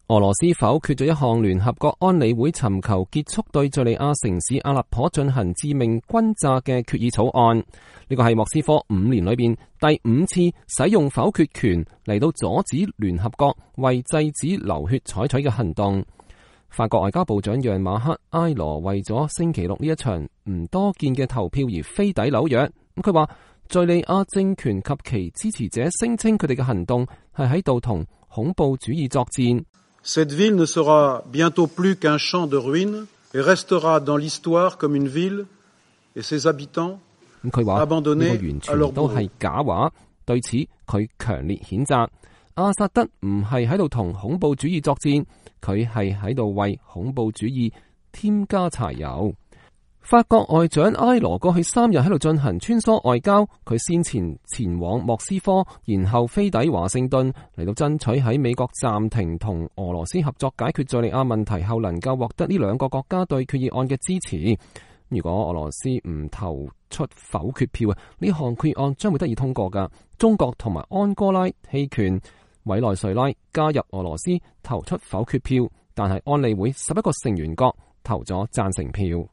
俄羅斯否決咗一項聯合國安理會尋求結束對敘利亞城市阿勒頗進行致命轟炸嘅決議草案。呢個係莫斯科5年裏邊第5次使用否決權嚟到阻止聯合國為制止流血採取嘅行動。法國外交部長讓馬克埃羅為咗星期六呢一場唔多見嘅投票而飛抵紐約。佢話敘利亞政權及其支持者聲稱佢哋嘅行動係喺度同恐怖主義作戰。Cette ville ne sera bientôt plus qu'un champ de ruines et restera dans l'histoire comme une ville et ses habitants abandonnés à leur bourreaux。佢話呢個完全都係假話，對此佢強烈譴責。阿薩德唔係喺度同恐怖主義作戰，佢係喺度為恐怖主義添加柴油。法國外長埃羅過去3日喺度進行穿梭外交，佢先前往莫斯科，然後飛抵華盛頓，嚟到爭取喺美國暫停同俄羅斯合作解決敘利亞問題後，能夠獲得呢2個國家對決議案嘅支持。如果俄羅斯唔投出否決票啊，呢項決議案將會得以通過㗎。中國同埋安哥拉棄權，委內瑞拉加入俄羅斯投出否決票，但係安理會11個成員國投咗贊成票。